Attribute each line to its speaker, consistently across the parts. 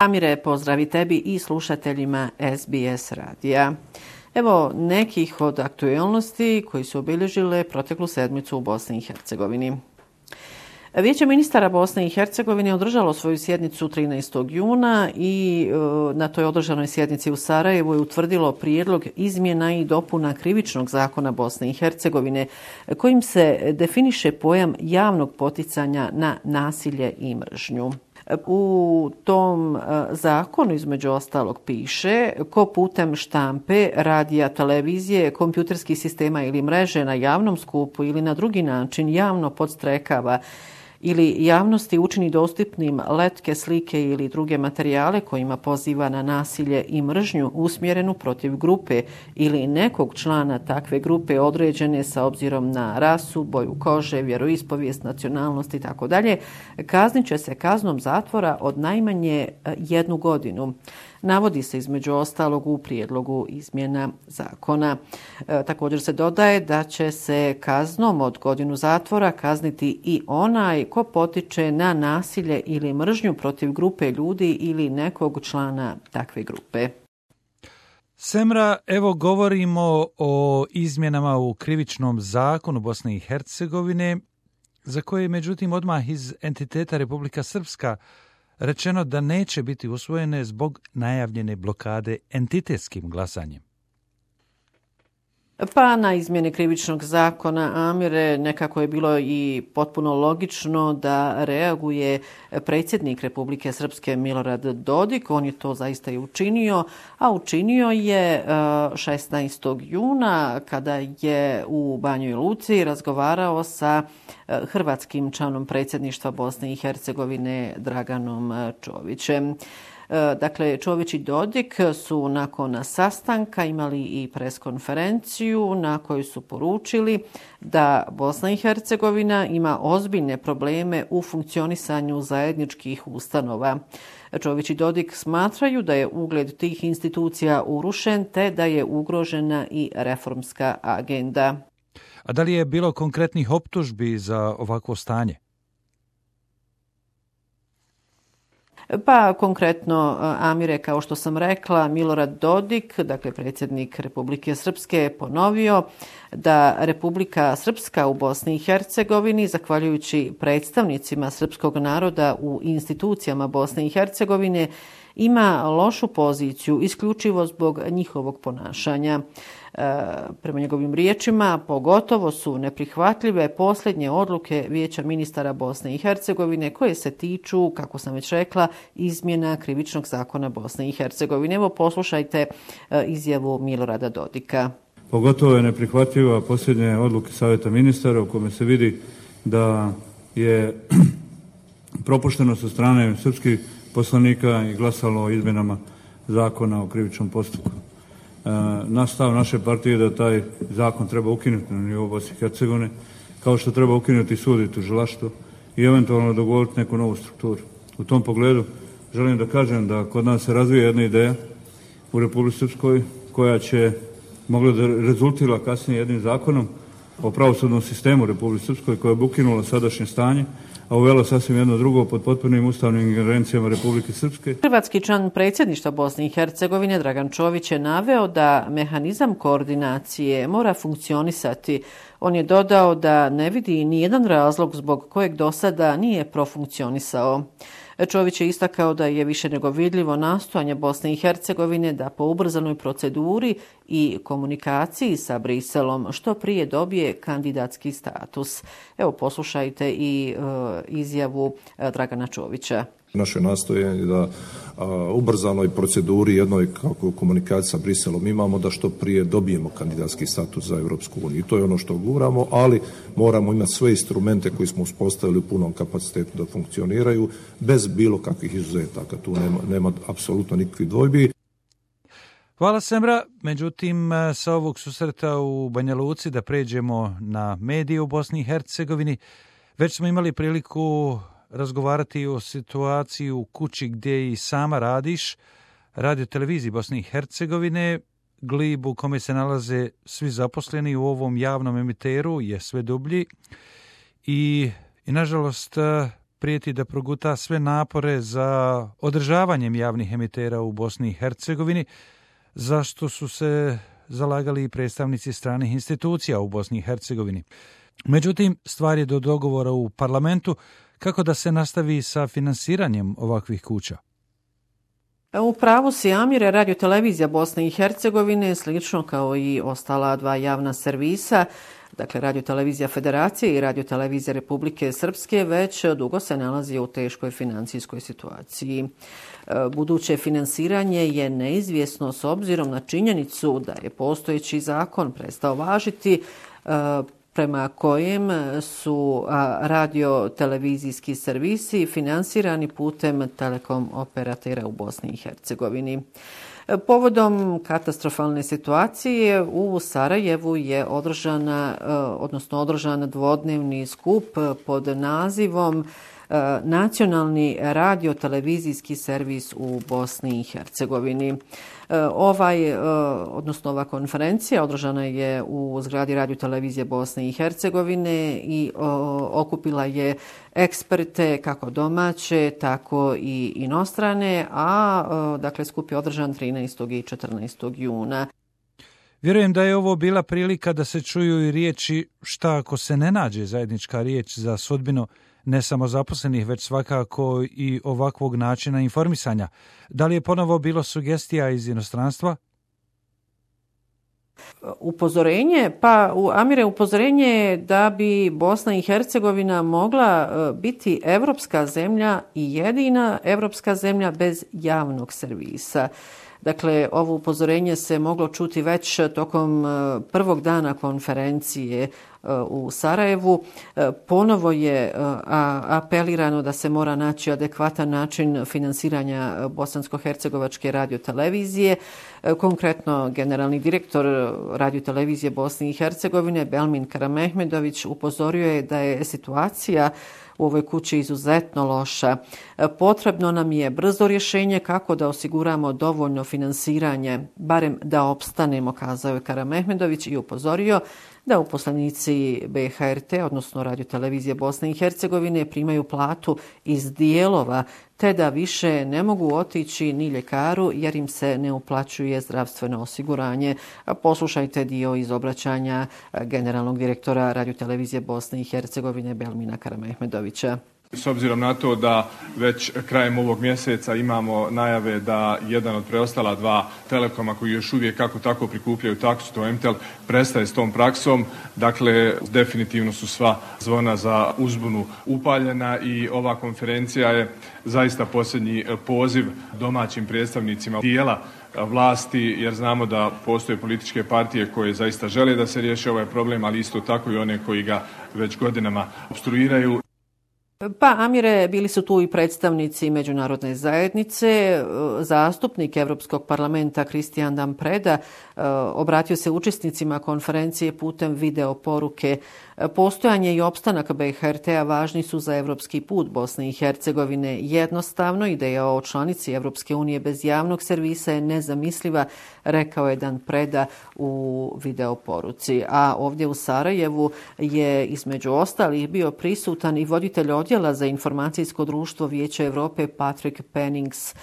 Speaker 1: Amire, pozdravi tebi i slušateljima SBS radija. Evo nekih od aktualnosti koji su obilježile proteklu sedmicu u Bosni i Hercegovini. Vijeće ministara Bosne i Hercegovine održalo svoju sjednicu 13. juna i na toj održanoj sjednici u Sarajevu je utvrdilo prijedlog izmjena i dopuna Krivičnog zakona Bosne i Hercegovine kojim se definiše pojam javnog poticanja na nasilje i mržnju. U tom zakonu između ostalog piše ko putem štampe, radija, televizije, kompjuterskih sistema ili mreže na javnom skupu ili na drugi način javno podstrekava ili javnosti učini dostupnim letke, slike ili druge materijale kojima poziva na nasilje i mržnju usmjerenu protiv grupe ili nekog člana takve grupe određene sa obzirom na rasu, boju kože, vjeroispovijest, nacionalnost i tako dalje, kaznit će se kaznom zatvora od najmanje 1 godinu. Navodi se između ostalog u prijedlogu izmjena zakona. Također se dodaje da će se kaznom od 1 godinu zatvora kazniti i onaj ko potiče na nasilje ili mržnju protiv grupe ljudi ili nekog člana takve grupe.
Speaker 2: Semra, evo govorimo o izmjenama u Krivičnom zakonu Bosne i Hercegovine, za koje je međutim odmah iz entiteta Republika Srpska rečeno da neće biti usvojene zbog najavljene blokade entitetskim glasanjem.
Speaker 1: Pa na izmjene Krivičnog zakona, Amire, nekako je bilo i potpuno logično da reaguje predsjednik Republike Srpske Milorad Dodik. On je to zaista i učinio, a učinio je 16. juna kada je u Banjoj Luci razgovarao sa hrvatskim članom predsjedništva Bosne i Hercegovine Draganom Čovićem. Dakle, Čović i Dodik su nakon sastanka imali i preskonferenciju na kojoj su poručili da Bosna i Hercegovina ima ozbiljne probleme u funkcionisanju zajedničkih ustanova. Čović i Dodik smatraju da je ugled tih institucija urušen te da je ugrožena i reformska agenda.
Speaker 2: A da li je bilo konkretnih optužbi za ovakvo stanje?
Speaker 1: Pa konkretno, Amire, kao što sam rekla, Milorad Dodik, dakle predsjednik Republike Srpske, je ponovio da Republika Srpska u Bosni i Hercegovini, zahvaljujući predstavnicima srpskog naroda u institucijama Bosne i Hercegovine, ima lošu poziciju isključivo zbog njihovog ponašanja. Prema njegovim riječima, pogotovo su neprihvatljive posljednje odluke Vijeća ministara Bosne i Hercegovine koje se tiču, kako sam već rekla, izmjena Krivičnog zakona Bosne i Hercegovine. Evo poslušajte izjavu Milorada Dodika.
Speaker 3: Pogotovo je neprihvatljiva posljednje odluke Savjeta ministara u kome se vidi da je propušteno sa strane srpskih poslanika i glasalo o izmjenama zakona o krivičnom postupku. Stav naše partije da taj zakon treba ukinuti na nivou Bosne i Hercegovine, kao što treba ukinuti sud i tužilaštvo i eventualno dogovoriti neku novu strukturu. U tom pogledu želim da kažem da kod nas se razvija jedna ideja u Republici Srpskoj koja će mogla da rezultira kasnije jednim zakonom o pravosudnom sistemu u Republici Srpskoj koja bi ukinula sadašnje stanje, a uvela sasvim jedno drugo pod potpunim ustavnim ingerencijama Republike Srpske.
Speaker 1: Hrvatski član predsjedništva Bosne i Hercegovine Dragan Čović je naveo da mehanizam koordinacije mora funkcionisati. On je dodao da ne vidi nijedan razlog zbog kojeg do sada nije profunkcionisao. Čović je istakao da je više nego vidljivo nastojanje Bosne i Hercegovine da po ubrzanoj proceduri i komunikaciji sa Briselom što prije dobije kandidatski status. Evo poslušajte i izjavu Dragana Čovića.
Speaker 4: Naše nastojanje da ubrzanoj proceduri jednoj kako komunikaciji sa Briselom imamo da što prije dobijemo kandidatski status za Europsku uniju. I to je ono što guramo, ali moramo imati sve instrumente koji smo uspostavili u punom kapacitetu da funkcioniraju bez bilo kakvih izuzetaka. Tu nema apsolutno nikakvih dvojbi.
Speaker 2: Hvala Semra. Međutim, sa ovog susreta u Banja Luci da pređemo na medije u Bosni i Hercegovini. Već smo imali priliku razgovarati o situaciji u kući gdje i sama radiš, radio televiziji Bosne i Hercegovine. Glib u kome se nalaze svi zaposleni u ovom javnom emiteru je sve dublji i nažalost prijeti da proguta sve napore za održavanjem javnih emitera u Bosni i Hercegovini, zašto su se zalagali i predstavnici stranih institucija u Bosni i Hercegovini. Međutim, stvar je do dogovora u parlamentu kako da se nastavi sa finansiranjem ovakvih kuća.
Speaker 1: U pravu si, Amire, radiotelevizija Bosne i Hercegovine, slično kao i ostala dva javna servisa, dakle radiotelevizija Federacije i radiotelevizija Republike Srpske, već dugo se nalazi u teškoj financijskoj situaciji. Buduće finansiranje je neizvjesno s obzirom na činjenicu da je postojeći zakon prestao važiti, prema kojem su radio-televizijski servisi finansirani putem telekom operatera u Bosni i Hercegovini. Povodom katastrofalne situacije u Sarajevu je održan dvodnevni skup pod nazivom Nacionalni radio-televizijski servis u Bosni i Hercegovini. Ova konferencija održana je u zgradi radiotelevizije Bosne i Hercegovine i okupila je eksperte kako domaće, tako i inostrane, dakle skup je održan 13. i 14. juna.
Speaker 2: Vjerujem da je ovo bila prilika da se čuju i riječi šta ako se ne nađe zajednička riječ za sudbinu ne samo zaposlenih, već svakako i ovakvog načina informisanja. Da li je ponovo bilo sugestija iz inostranstva?
Speaker 1: Upozorenje je da bi Bosna i Hercegovina mogla biti evropska zemlja i jedina evropska zemlja bez javnog servisa. Dakle, ovo upozorenje se moglo čuti već tokom prvog dana konferencije u Sarajevu. Ponovo je apelirano da se mora naći adekvatan način finansiranja bosansko-hercegovačke radiotelevizije. Konkretno, generalni direktor radiotelevizije Bosne i Hercegovine Belmin Karamehmedović upozorio je da je situacija u ovoj kući izuzetno loša. Potrebno nam je brzo rješenje kako da osiguramo dovoljno finansiranje, barem da opstanemo, kazao je Karamehmedović i upozorio da uposlenici BHRT, odnosno radiotelevizije Bosne i Hercegovine, primaju platu iz dijelova, te da više ne mogu otići ni ljekaru jer im se ne uplaćuje zdravstveno osiguranje. Poslušajte dio iz obraćanja generalnog direktora radiotelevizije Bosne i Hercegovine Belmina Karamehmedovića.
Speaker 5: S obzirom na to da već krajem ovog mjeseca imamo najave da jedan od preostala dva telekoma koji još uvijek kako tako prikupljaju taksu, to MTEL, prestaje s tom praksom. Dakle, definitivno su sva zvona za uzbunu upaljena i ova konferencija je zaista posljednji poziv domaćim predstavnicima dijela vlasti, jer znamo da postoje političke partije koje zaista žele da se riješi ovaj problem, ali isto tako i one koji ga već godinama opstruiraju.
Speaker 1: Pa, Amire, bili su tu i predstavnici međunarodne zajednice. Zastupnik Europskog parlamenta Kristijan Dan Preda obratio se učesnicima konferencije putem video poruke. Postojanje i opstanak BHRT-a važni su za evropski put Bosne i Hercegovine. Jednostavno, ideja o članici Evropske unije bez javnog servisa je nezamisliva, rekao je Dan Preda u video poruci. A ovdje u Sarajevu je između ostalih bio prisutan i voditelj odjela za informacijsko društvo Vijeća Europe Patrick Pennings.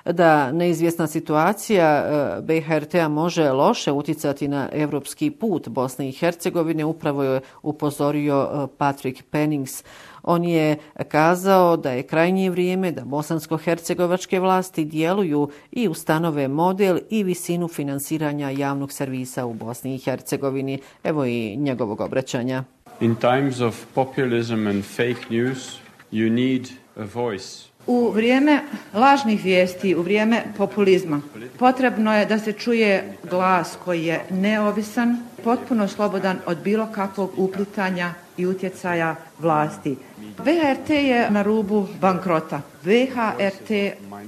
Speaker 1: Da neizvjesna situacija BHRT-a može loše utjecati na evropski put Bosne i Hercegovine, upravo je upozorio Patrick Pennings. On je kazao da je krajnje vrijeme da bosansko-hercegovačke vlasti djeluju i ustanove model i visinu finansiranja javnog servisa u Bosni i Hercegovini. Evo i njegovog obraćanja.
Speaker 6: In times of populism and fake news, you need a voice.
Speaker 7: U vrijeme lažnih vijesti, u vrijeme populizma, potrebno je da se čuje glas koji je neovisan, potpuno slobodan od bilo kakvog uplitanja i utjecaja vlasti. BHRT je na rubu bankrota. BHRT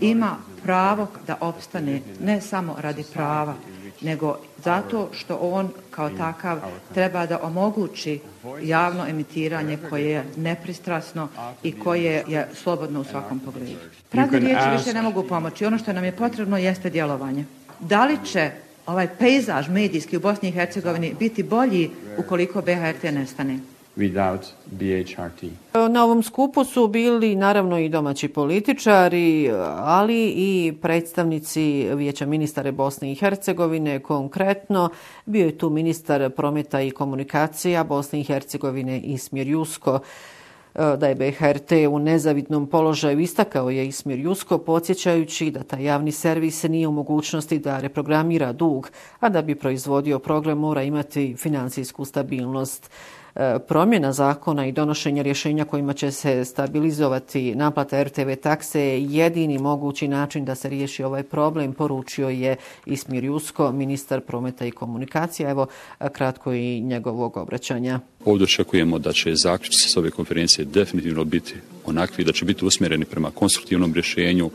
Speaker 7: ima pravo da opstane ne samo radi prava, nego zato što on kao takav treba da omogući javno emitiranje koje je nepristrasno i koje je slobodno u svakom pogledu. Prazne riječi više ne mogu pomoći. Ono što nam je potrebno jeste djelovanje. Da li će ovaj pejzaž medijski u Bosni i Hercegovini biti bolji ukoliko BHRT nestane?
Speaker 6: without BHRT.
Speaker 1: Na ovom skupu su bili naravno i domaći političari, ali i predstavnici Vijeća ministara Bosne i Hercegovine. Konkretno bio je tu ministar prometa i komunikacija Bosne i Hercegovine Ismir Jusko. Da je BHRT u nezavidnom položaju istakao je Ismir Jusko, podsjećajući da taj javni servis nije u mogućnosti da reprogramira dug, a da bi proizvodio program mora imati financijsku stabilnost. Promjena zakona i donošenje rješenja kojima će se stabilizovati naplata RTV takse je jedini mogući način da se riješi ovaj problem, poručio je Ismir Jusko, ministar prometa i komunikacija. Evo kratko i njegovog obraćanja.
Speaker 8: Ovdje očekujemo da će zaključci s ove konferencije definitivno biti onakvi da će biti usmjereni prema konstruktivnom rješenju.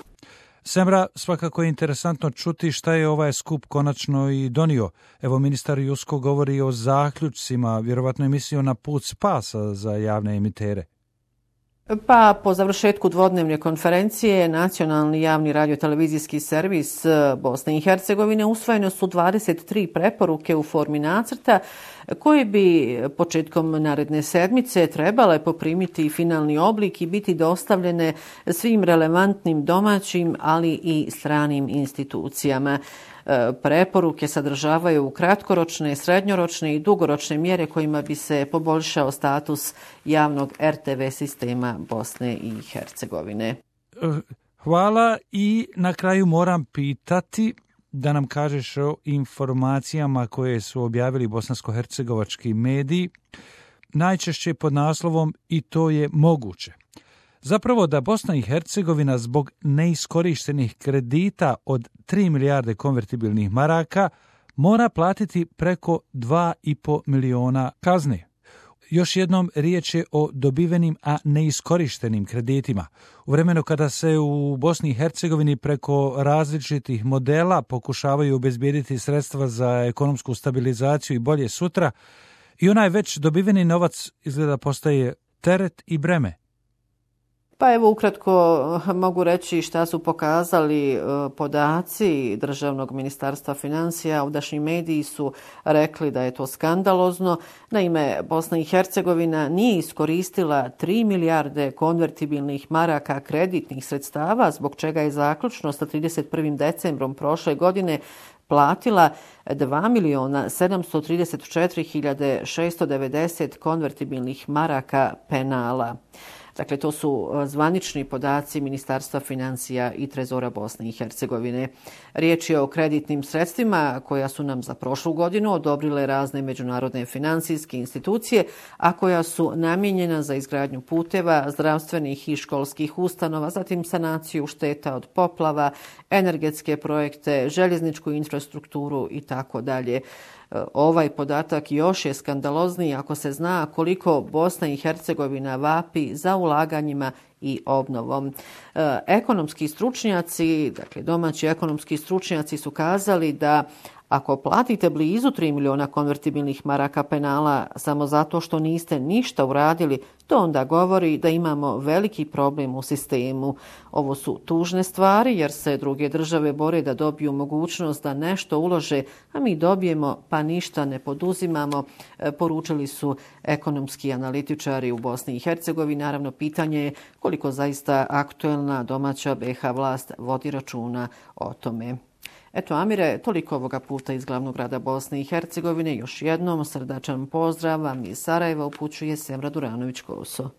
Speaker 2: Semra, svakako je interesantno čuti šta je ovaj skup konačno i donio. Evo, ministar Jusko govori o zaključcima, vjerovatno je mislio na put spasa za javne emitere.
Speaker 1: Pa po završetku dvodnevne konferencije Nacionalni javni radiotelevizijski servis Bosne i Hercegovine usvojene su 23 preporuke u formi nacrta koje bi početkom naredne sedmice trebale poprimiti finalni oblik i biti dostavljene svim relevantnim domaćim, ali i stranim institucijama. Preporuke sadržavaju kratkoročne, srednjoročne i dugoročne mjere kojima bi se poboljšao status javnog RTV sistema Bosne i Hercegovine.
Speaker 2: Hvala i na kraju moram pitati da nam kažeš o informacijama koje su objavili bosansko-hercegovački mediji, najčešće pod naslovom "I to je moguće". Zapravo da Bosna i Hercegovina zbog neiskorištenih kredita od 3 milijarde konvertibilnih maraka mora platiti preko 2,5 miliona kazne. Još jednom riječ je o dobivenim, a neiskorištenim kreditima. U vremenu kada se u Bosni i Hercegovini preko različitih modela pokušavaju obezbijediti sredstva za ekonomsku stabilizaciju i bolje sutra, i onaj već dobiveni novac izgleda postaje teret i breme.
Speaker 1: Pa evo ukratko mogu reći šta su pokazali podaci Državnog ministarstva financija. Ovdašnji mediji su rekli da je to skandalozno. Naime, Bosna i Hercegovina nije iskoristila 3 milijarde konvertibilnih maraka kreditnih sredstava, zbog čega je zaključno sa 31. decembrom prošle godine platila 2.734.690 konvertibilnih maraka penala. Dakle, to su zvanični podaci Ministarstva financija i Trezora Bosne i Hercegovine. Riječ je o kreditnim sredstvima koja su nam za prošlu godinu odobrile razne međunarodne financijske institucije, a koja su namijenjena za izgradnju puteva, zdravstvenih i školskih ustanova, zatim sanaciju šteta od poplava, energetske projekte, željezničku infrastrukturu i tako dalje. Ovaj podatak još je skandalozniji ako se zna koliko Bosna i Hercegovina vapi za ulaganjima i obnovom. Ekonomski stručnjaci, dakle domaći ekonomski stručnjaci su kazali da ako platite blizu 3 miliona konvertibilnih maraka penala samo zato što niste ništa uradili, to onda govori da imamo veliki problem u sistemu. Ovo su tužne stvari jer se druge države bore da dobiju mogućnost da nešto ulože, a mi dobijemo pa ništa ne poduzimamo, poručili su ekonomski analitičari u Bosni i Hercegovini. Naravno, pitanje je koliko zaista aktuelna domaća BiH vlast vodi računa o tome. Eto, Amire, toliko ovoga puta iz glavnog grada Bosne i Hercegovine. Još jednom srdačan pozdrav vam iz Sarajeva upućuje Semra Duranović-Koso.